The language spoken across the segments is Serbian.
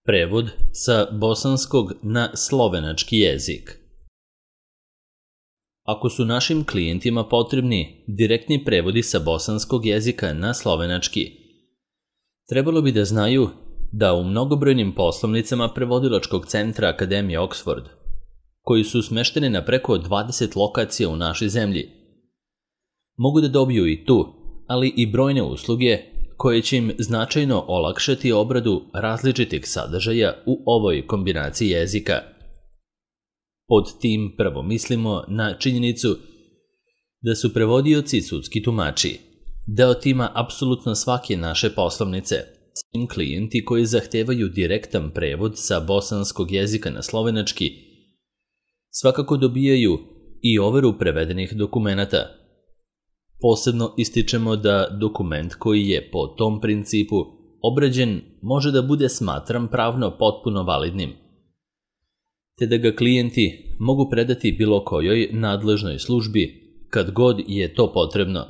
Prevod sa bosanskog na slovenački jezik. Ako su našim klijentima potrebni direktni prevodi sa bosanskog jezika na slovenački, trebalo bi da znaju da u mnogobrojnim poslovnicama prevodilačkog centra Akademije Oxford, koji su smešteni na preko 20 lokacija u našoj zemlji, mogu da dobiju i tu, ali i brojne usluge koje će im značajno olakšati obradu različitih sadržaja u ovoj kombinaciji jezika. Pod tim prvo mislimo na činjenicu da su prevodioci sudski tumači deo tima apsolutno svake naše poslovnice. Svim klijenti koji zahtevaju direktan prevod sa bosanskog jezika na slovenački svakako dobijaju i overu prevedenih dokumenata. Posebno ističemo da dokument koji je po tom principu obrađen može da bude smatran pravno potpuno validnim, te da ga klijenti mogu predati bilo kojoj nadležnoj službi kad god je to potrebno.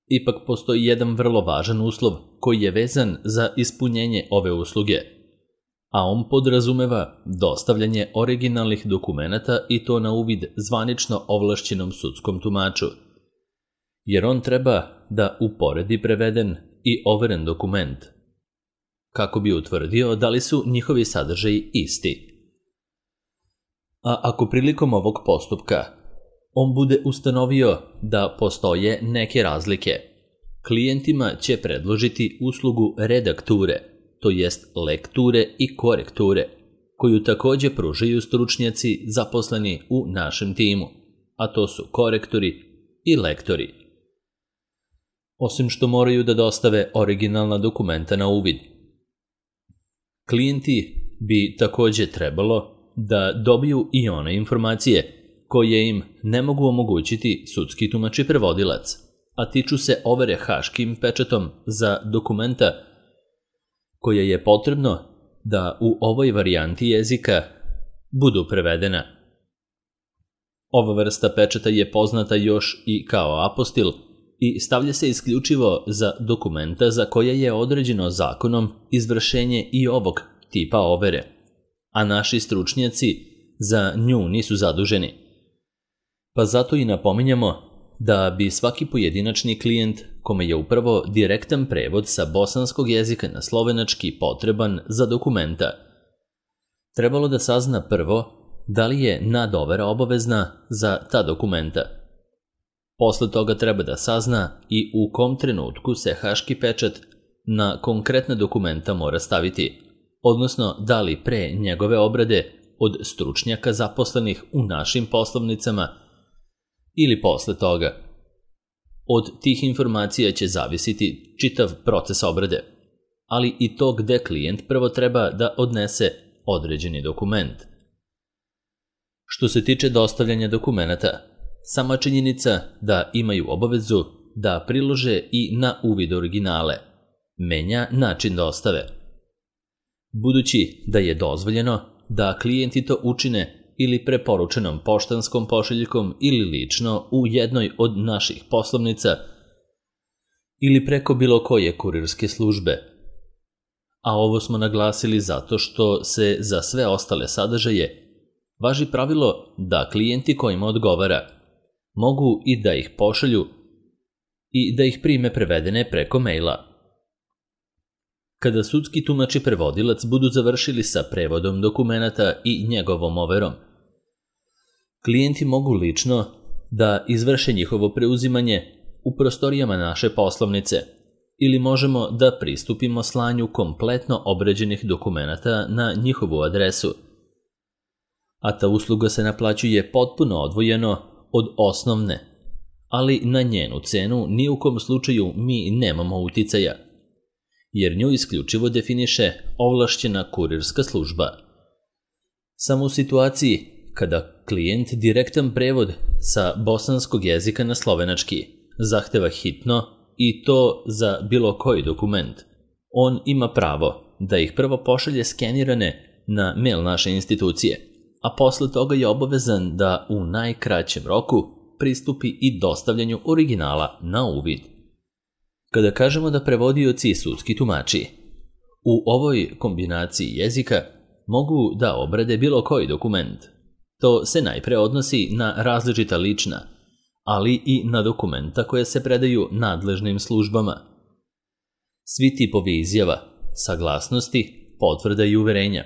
Ipak postoji jedan vrlo važan uslov koji je vezan za ispunjenje ove usluge, a on podrazumeva dostavljanje originalnih dokumenata i to na uvid zvanično ovlašćenom sudskom tumaču, jer on treba da uporedi preveden i overen dokument, kako bi utvrdio da li su njihovi sadržaji isti. A ako prilikom ovog postupka on bude ustanovio da postoje neke razlike, klijentima će predložiti uslugu redakture, to jest lekture i korekture, koju takođe pružaju stručnjaci zaposleni u našem timu, a to su korektori i lektori. Osim što moraju da dostave originalna dokumenta na uvid, klijenti bi takođe trebalo da dobiju i one informacije koje im ne mogu omogućiti sudski tumač i prevodilac, a tiču se overe haškim pečatom za dokumenta koje je potrebno da u ovoj varijanti jezika budu prevedena. Ova vrsta pečata je poznata još i kao apostil i stavlja se isključivo za dokumenta za koje je određeno zakonom izvršenje i ovog tipa overe, a naši stručnjaci za nju nisu zaduženi. Pa zato i napominjamo da bi svaki pojedinačni klijent kome je upravo direktan prevod sa bosanskog jezika na slovenački potreban za dokumenta, trebalo da sazna prvo da li je nadovera obavezna za ta dokumenta. Posle toga treba da sazna i u kom trenutku se haški pečat na konkretna dokumenta mora staviti, odnosno da li pre njegove obrade od stručnjaka zaposlenih u našim poslovnicama ili posle toga. Od tih informacija će zavisiti čitav proces obrade, ali i to gde klijent prvo treba da odnese određeni dokument. Što se tiče dostavljanja dokumenata, sama činjenica da imaju obavezu da prilože i na uvid originale menja način dostave. Budući da je dozvoljeno da klijenti to učine ili preporučenom poštanskom pošiljkom ili lično u jednoj od naših poslovnica ili preko bilo koje kurirske službe. A ovo smo naglasili zato što se za sve ostale sadržaje važi pravilo da klijenti kojima odgovara mogu i da ih pošalju i da ih prime prevedene preko maila. Kada sudski tumač i prevodilac budu završili sa prevodom dokumenata i njegovom overom, klijenti mogu lično da izvrše njihovo preuzimanje u prostorijama naše poslovnice ili možemo da pristupimo slanju kompletno obrađenih dokumenata na njihovu adresu. A ta usluga se naplaćuje potpuno odvojeno od osnovne, ali na njenu cenu ni u kom slučaju mi nemamo uticaja, jer nju isključivo definiše ovlašćena kurirska služba. Samo u situaciji kada klijent direktan prevod sa bosanskog jezika na slovenački zahteva hitno i to za bilo koji dokument, on ima pravo da ih prvo pošalje skenirane na mail naše institucije, a posle toga je obavezan da u najkraćem roku pristupi i dostavljanju originala na uvid. Kada kažemo da prevodioci i sudski tumači U ovoj kombinaciji jezika mogu da obrade bilo koji dokument. To se najpre odnosi na različita lična, ali i na dokumenta koje se predaju nadležnim službama. Svi tipovi izjava, saglasnosti, potvrda i uverenja.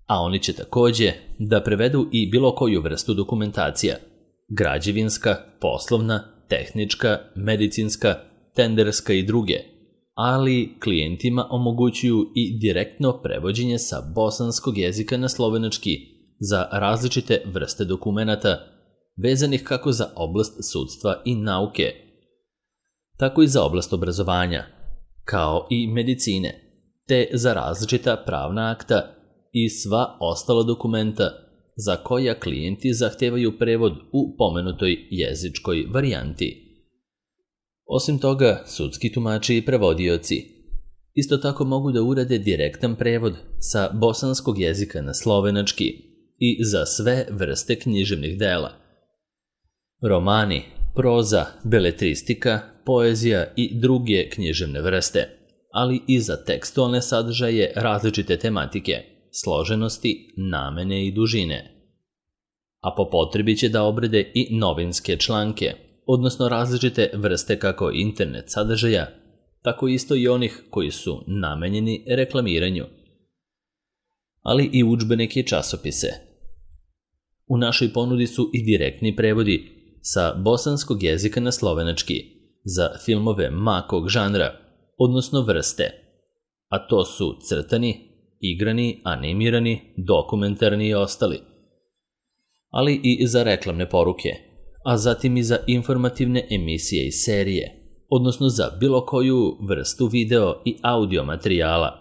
A oni će takođe da prevedu i bilo koju vrstu dokumentacija, građevinska, poslovna, tehnička, medicinska, tenderska i druge, ali klijentima omogućuju i direktno prevođenje sa bosanskog jezika na slovenački za različite vrste dokumenata vezanih kako za oblast sudstva i nauke, tako i za oblast obrazovanja, kao i medicine, te za različita pravna akta i sva ostala dokumenta za koja klijenti zahtevaju prevod u pomenutoj jezičkoj varijanti. Osim toga, sudski tumači i prevodioci isto tako mogu da urade direktan prevod sa bosanskog jezika na slovenački i za sve vrste književnih dela. Romani, proza, beletristika, poezija i druge književne vrste, ali i za tekstualne sadržaje različite tematike, složenosti, namene i dužine. A po potrebi će da obrade i novinske članke, odnosno različite vrste kako internet sadržaja, tako isto i onih koji su namenjeni reklamiranju, ali i udžbenike i časopise. U našoj ponudi su i direktni prevodi sa bosanskog jezika na slovenački za filmove makog žanra, odnosno vrste, a to su crtani, igrani, animirani, dokumentarni i ostali, ali i za reklamne poruke, a zatim i za informativne emisije i serije, odnosno za bilo koju vrstu video i audio materijala.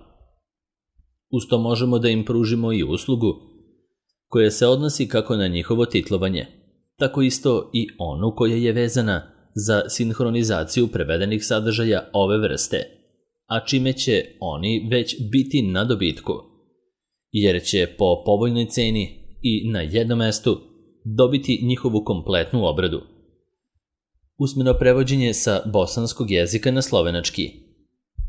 Uz to možemo da im pružimo i uslugu koja se odnosi kako na njihovo titlovanje, tako isto i onu koja je vezana za sinhronizaciju prevedenih sadržaja ove vrste, a čime će oni već biti na dobitku, jer će po povoljnoj ceni i na jednom mestu dobiti njihovu kompletnu obradu. Usmeno prevođenje sa bosanskog jezika na slovenački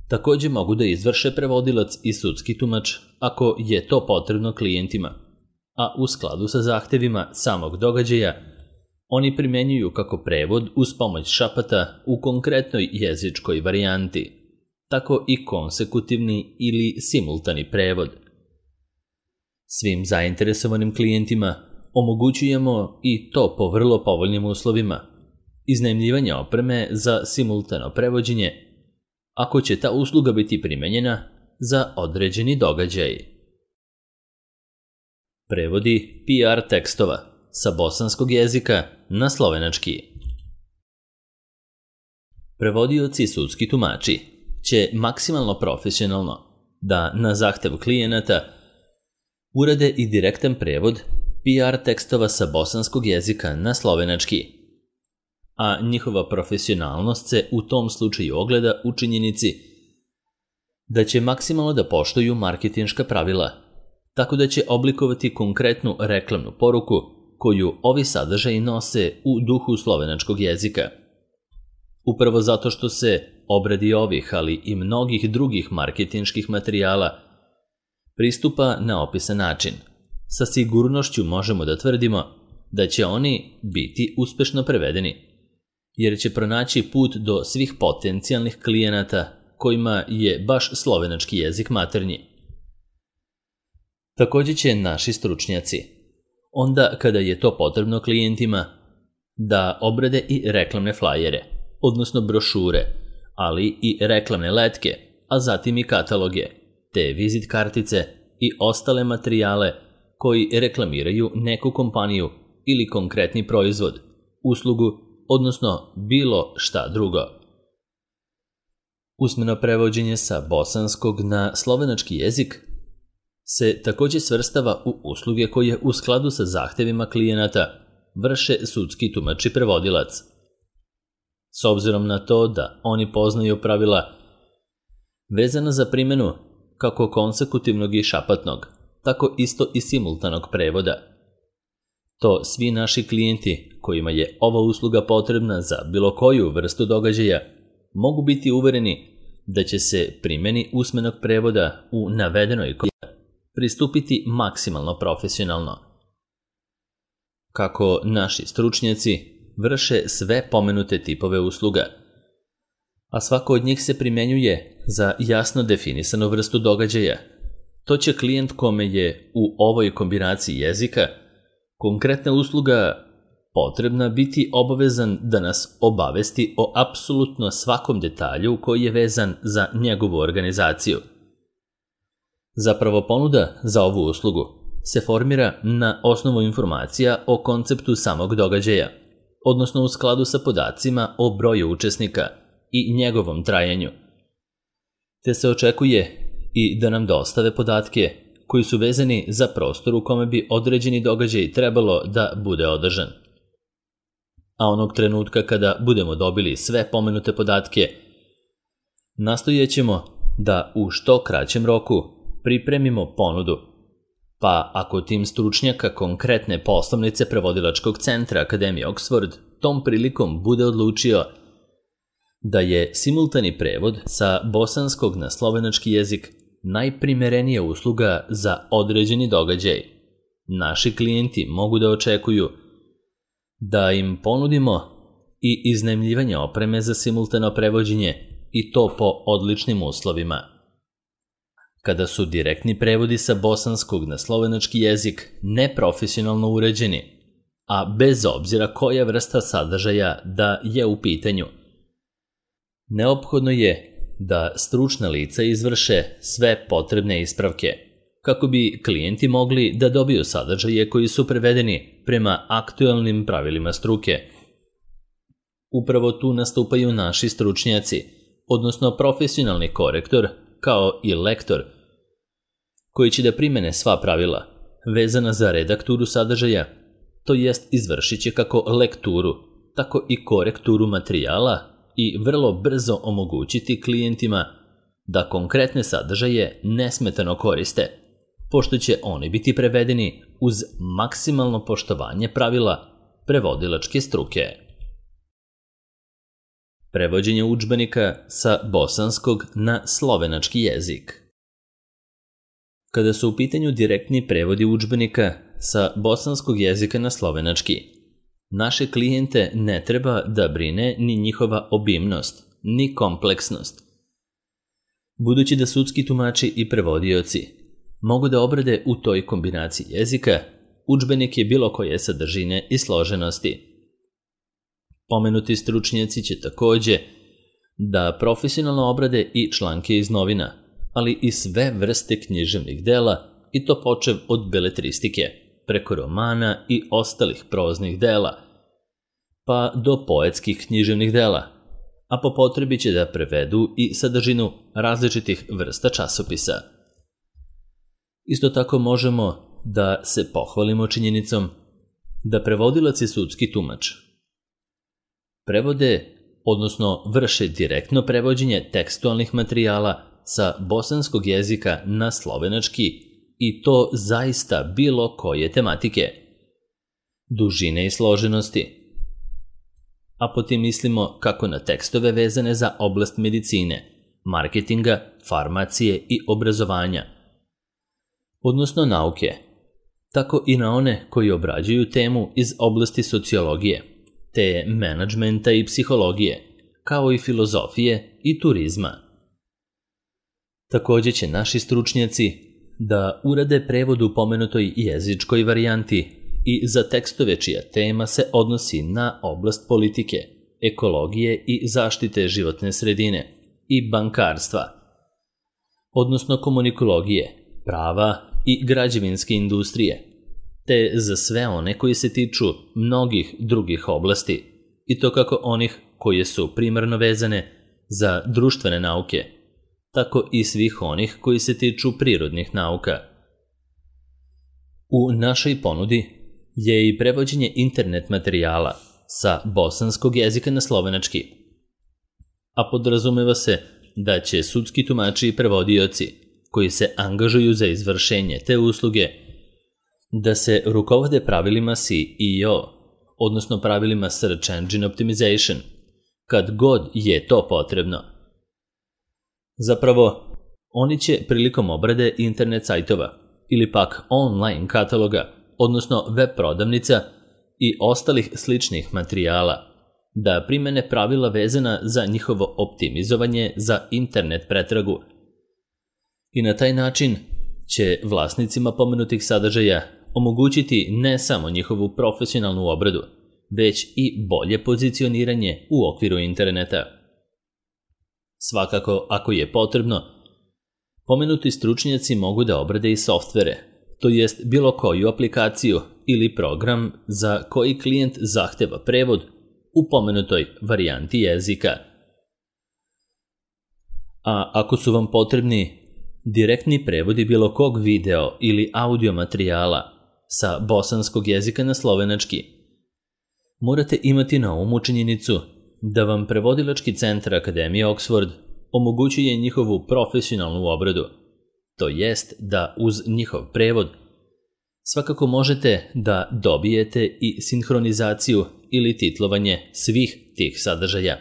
takođe mogu da izvrše prevodilac i sudski tumač ako je to potrebno klijentima, a u skladu sa zahtevima samog događaja oni primenjuju kako prevod uz pomoć šapata u konkretnoj jezičkoj varijanti, tako i konsekutivni ili simultani prevod. Svim zainteresovanim klijentima omogućujemo i to po vrlo povoljnim uslovima, iznajmljivanje opreme za simultano prevođenje, ako će ta usluga biti primenjena za određeni događaj. Prevodi PR tekstova sa bosanskog jezika na slovenački. Prevodioci i sudski tumači će maksimalno profesionalno da na zahtev klijenata urade i direktan prevod PR tekstova sa bosanskog jezika na slovenački, a njihova profesionalnost se u tom slučaju ogleda u činjenici da će maksimalno da poštuju marketinška pravila, tako da će oblikovati konkretnu reklamnu poruku koju ovi sadržaji nose u duhu slovenačkog jezika. Upravo zato što se obradi ovih, ali i mnogih drugih marketinških materijala pristupa na opisan način, sa sigurnošću možemo da tvrdimo da će oni biti uspešno prevedeni, jer će pronaći put do svih potencijalnih klijenata kojima je baš slovenački jezik maternji. Takođe će naši stručnjaci, onda kada je to potrebno klijentima, da obrade i reklamne flajere, odnosno brošure, ali i reklamne letke, a zatim i kataloge, te vizit kartice i ostale materijale koji reklamiraju neku kompaniju ili konkretni proizvod, uslugu, odnosno bilo šta drugo. Usmeno prevođenje sa bosanskog na slovenački jezik se takođe svrstava u usluge koje u skladu sa zahtevima klijenata vrše sudski tumač i prevodilac. S obzirom na to da oni poznaju pravila vezana za primjenu kako konsekutivnog i šapatnog, tako isto i simultanog prevoda. To svi naši klijenti kojima je ova usluga potrebna za bilo koju vrstu događaja mogu biti uvereni da će se primjeni usmenog prevoda u navedenoj pristupiti maksimalno profesionalno. Kako naši stručnjaci vrše sve pomenute tipove usluga, a svako od njih se primjenjuje za jasno definisanu vrstu događaja, to će klijent kome je u ovoj kombinaciji jezika konkretna usluga potrebna biti obavezan da nas obavesti o apsolutno svakom detalju koji je vezan za njegovu organizaciju. Zapravo ponuda za ovu uslugu se formira na osnovu informacija o konceptu samog događaja, odnosno u skladu sa podacima o broju učesnika i njegovom trajanju. Te se očekuje i da nam dostave podatke koji su vezani za prostor u kome bi određeni događaj trebalo da bude održan. A onog trenutka kada budemo dobili sve pomenute podatke, nastojećemo da u što kraćem roku pripremimo ponudu, pa ako tim stručnjaka konkretne poslovnice prevodilačkog centra Akademije Oxford tom prilikom bude odlučio da je simultani prevod sa bosanskog na slovenački jezik najprimerenija usluga za određeni događaj, naši klijenti mogu da očekuju da im ponudimo i iznajmljivanje opreme za simultano prevođenje i to po odličnim uslovima. Kada su direktni prevodi sa bosanskog na slovenački jezik neprofesionalno uređeni, a bez obzira koja vrsta sadržaja da je u pitanju, neophodno je da stručna lica izvrše sve potrebne ispravke, kako bi klijenti mogli da dobiju sadržaje koji su prevedeni prema aktualnim pravilima struke. Upravo tu nastupaju naši stručnjaci, odnosno profesionalni korektor, kao i lektor, koji će da primene sva pravila vezana za redakturu sadržaja, to jest izvršit će kako lekturu, tako i korekturu materijala i vrlo brzo omogućiti klijentima da konkretne sadržaje nesmetano koriste, pošto će oni biti prevedeni uz maksimalno poštovanje pravila prevodilačke struke. Prevođenje udžbenika sa bosanskog na slovenački jezik. Kada su u pitanju direktni prevodi udžbenika sa bosanskog jezika na slovenački, naše klijente ne treba da brine ni njihova obimnost, ni kompleksnost. Budući da sudski tumači i prevodioci mogu da obrade u toj kombinaciji jezika, udžbenik je bilo koje sadržine i složenosti. Pomenuti stručnjaci će takođe da profesionalno obrade i članke iz novina, ali i sve vrste književnih dela, i to počev od beletristike, preko romana i ostalih proznih dela, pa do poetskih književnih dela, a po potrebi će da prevedu i sadržinu različitih vrsta časopisa. Isto tako možemo da se pohvalimo činjenicom da prevodilac i sudski tumač prevode, odnosno vrše direktno prevođenje tekstualnih materijala sa bosanskog jezika na slovenački i to zaista bilo koje tematike, dužine i složenosti. A potim mislimo kako na tekstove vezane za oblast medicine, marketinga, farmacije i obrazovanja, odnosno nauke, tako i na one koji obrađuju temu iz oblasti sociologije, te menadžmenta i psihologije, kao i filozofije i turizma. Takođe će naši stručnjaci da urade prevod u pomenutoj jezičkoj varijanti i za tekstove čija tema se odnosi na oblast politike, ekologije i zaštite životne sredine i bankarstva, odnosno komunikologije, prava i građevinske industrije, te za sve one koji se tiču mnogih drugih oblasti, i to kako onih koje su primarno vezane za društvene nauke, tako i svih onih koji se tiču prirodnih nauka. U našoj ponudi je i prevođenje internet materijala sa bosanskog jezika na slovenački, a podrazumeva se da će sudski tumači i prevodioci koji se angažuju za izvršenje te usluge da se rukovode pravilima SEO, odnosno pravilima Search Engine Optimization, kad god je to potrebno. Zapravo, oni će prilikom obrade internet sajtova ili pak online kataloga, odnosno web prodavnica i ostalih sličnih materijala, da primene pravila vezana za njihovo optimizovanje za internet pretragu. I na taj način će vlasnicima pomenutih sadržaja omogućiti ne samo njihovu profesionalnu obradu, već i bolje pozicioniranje u okviru interneta. Svakako, ako je potrebno, pomenuti stručnjaci mogu da obrade i softvere, to jest bilo koju aplikaciju ili program za koji klijent zahteva prevod u pomenutoj varijanti jezika. A ako su vam potrebni direktni prevodi bilo kog video ili audio materijala sa bosanskog jezika na slovenački, morate imati na umu činjenicu da vam prevodilački centar Akademije Oxford omogućuje njihovu profesionalnu obradu, to jest da uz njihov prevod svakako možete da dobijete i sinhronizaciju ili titlovanje svih tih sadržaja.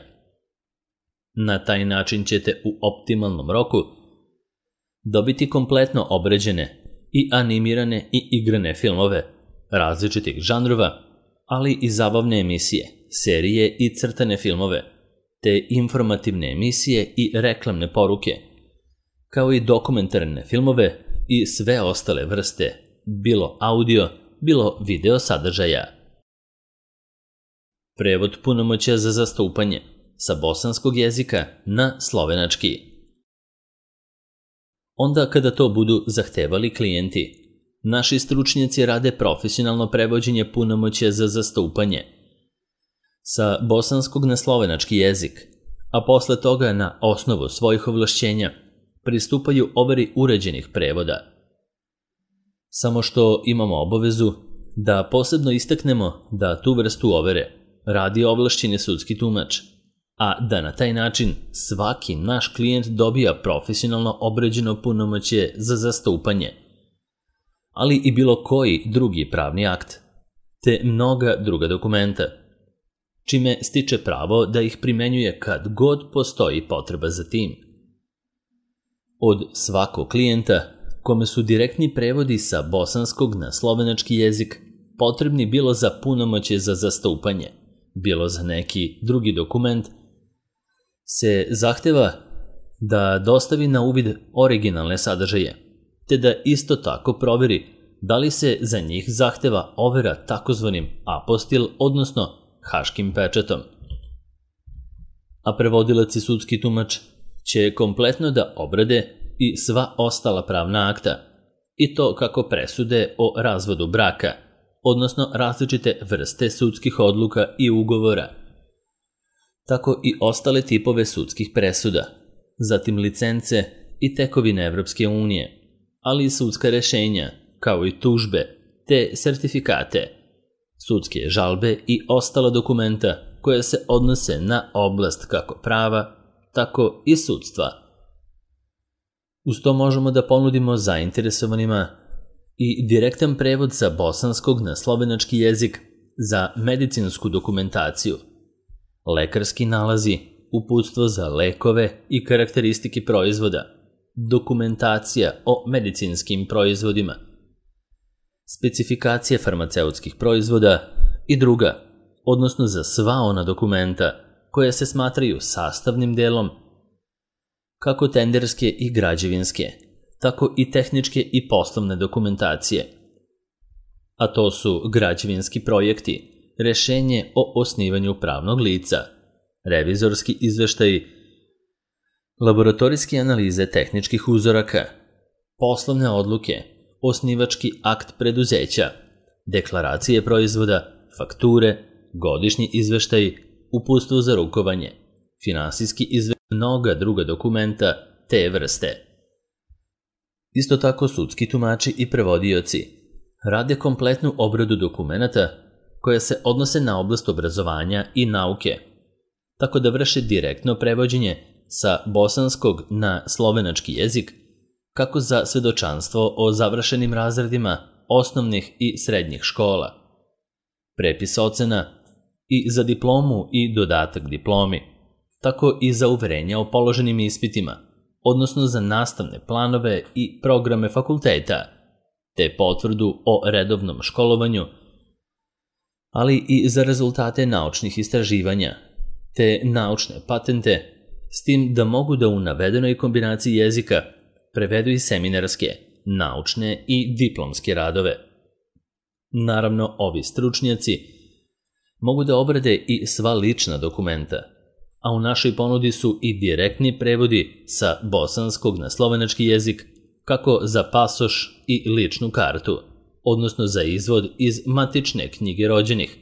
Na taj način ćete u optimalnom roku dobiti kompletno obrađene i animirane i igrane filmove različitih žanrova, ali i zabavne emisije, serije i crtane filmove, te informativne emisije i reklamne poruke, kao i dokumentarne filmove i sve ostale vrste, bilo audio, bilo video sadržaja. Prevod punomoćja za zastupanje sa bosanskog jezika na slovenački. Onda kada to budu zahtevali klijenti, naši stručnjaci rade profesionalno prevođenje punomoćja za zastupanje sa bosanskog na slovenački jezik, a posle toga na osnovu svojih ovlašćenja pristupaju overi uređenih prevoda. Samo što imamo obavezu da posebno istaknemo da tu vrstu overe radi ovlašćeni sudski tumač, a da na taj način svaki naš klijent dobija profesionalno obrađeno punomoćje za zastupanje, ali i bilo koji drugi pravni akt, te mnoga druga dokumenta, čime stiče pravo da ih primenjuje kad god postoji potreba za tim. Od svakog klijenta kome su direktni prevodi sa bosanskog na slovenački jezik potrebni bilo za punomoćje za zastupanje, bilo za neki drugi dokument, se zahteva da dostavi na uvid originalne sadržaje, te da isto tako proveri da li se za njih zahteva overa takozvanim apostil, odnosno haškim pečatom. A prevodilac i sudski tumač će kompletno da obrade i sva ostala pravna akta, i to kako presude o razvodu braka, odnosno različite vrste sudskih odluka i ugovora, tako i ostale tipove sudskih presuda, zatim licence i tekovine Evropske unije, ali i sudska rešenja, kao i tužbe, te sertifikate, sudske žalbe i ostala dokumenta koja se odnose na oblast kako prava, tako i sudstva. Uz to možemo da ponudimo zainteresovanima i direktan prevod sa bosanskog na slovenački jezik za medicinsku dokumentaciju, lekarski nalazi, uputstvo za lekove i karakteristike proizvoda, dokumentacija o medicinskim proizvodima, specifikacije farmaceutskih proizvoda i druga, odnosno za sva ona dokumenta koja se smatraju sastavnim delom kako tenderske i građevinske, tako i tehničke i poslovne dokumentacije. A to su građevinski projekti, rešenje o osnivanju pravnog lica, revizorski izveštaji, laboratorijske analize tehničkih uzoraka, poslovne odluke, osnivački akt preduzeća, deklaracije proizvoda, fakture, godišnji izveštaj, uputstvo za rukovanje, finansijski izveštaj, mnoga druga dokumenta te vrste. Isto tako sudski tumači i prevodioci rade kompletnu obradu dokumenata koja se odnose na oblast obrazovanja i nauke, tako da vrše direktno prevođenje sa bosanskog na slovenački jezik, kako za svedočanstvo o završenim razredima osnovnih i srednjih škola, prepis ocena i za diplomu i dodatak diplomi, tako i za uverenja o položenim ispitima, odnosno za nastavne planove i programe fakulteta, te potvrdu o redovnom školovanju, ali i za rezultate naučnih istraživanja, te naučne patente, s tim da mogu da u navedenoj kombinaciji jezika prevedu i seminarske, naučne i diplomske radove. Naravno, ovi stručnjaci mogu da obrade i sva lična dokumenta, a u našoj ponudi su i direktni prevodi sa bosanskog na slovenački jezik, kako za pasoš i ličnu kartu, odnosno za izvod iz matične knjige rođenih,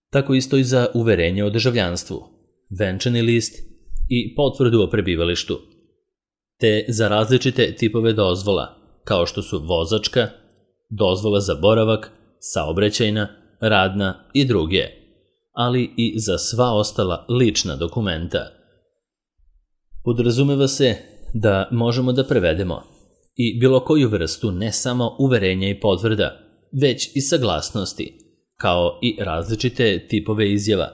tako isto i za uverenje o državljanstvu, venčani list i potvrdu o prebivalištu, te za različite tipove dozvola, kao što su vozačka, dozvola za boravak, saobraćajna, radna i druge, ali i za sva ostala lična dokumenta. Podrazumeva se da možemo da prevedemo i bilo koju vrstu ne samo uverenja i potvrda, već i saglasnosti, kao i različite tipove izjava,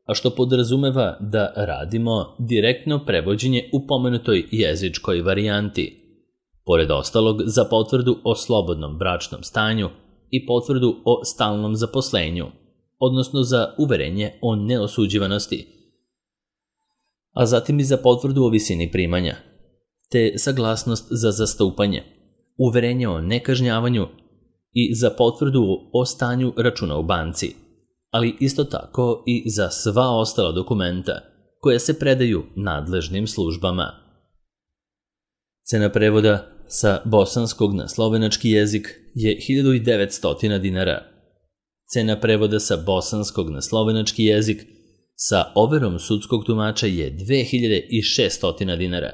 a što podrazumeva da radimo direktno prevođenje u pomenutoj jezičkoj varijanti, pored ostalog za potvrdu o slobodnom bračnom stanju i potvrdu o stalnom zaposlenju, odnosno za uverenje o neosuđivanosti, a zatim i za potvrdu o visini primanja, te saglasnost za zastupanje, uverenje o nekažnjavanju i za potvrdu o stanju računa u banci, ali isto tako i za sva ostala dokumenta koja se predaju nadležnim službama. Cena prevoda sa bosanskog na slovenački jezik je 1900 dinara. Cena prevoda sa bosanskog na slovenački jezik sa overom sudskog tumača je 2600 dinara.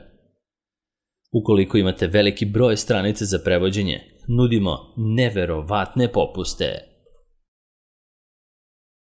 Ukoliko imate veliki broj stranice za prevođenje, nudimo neverovatne popuste.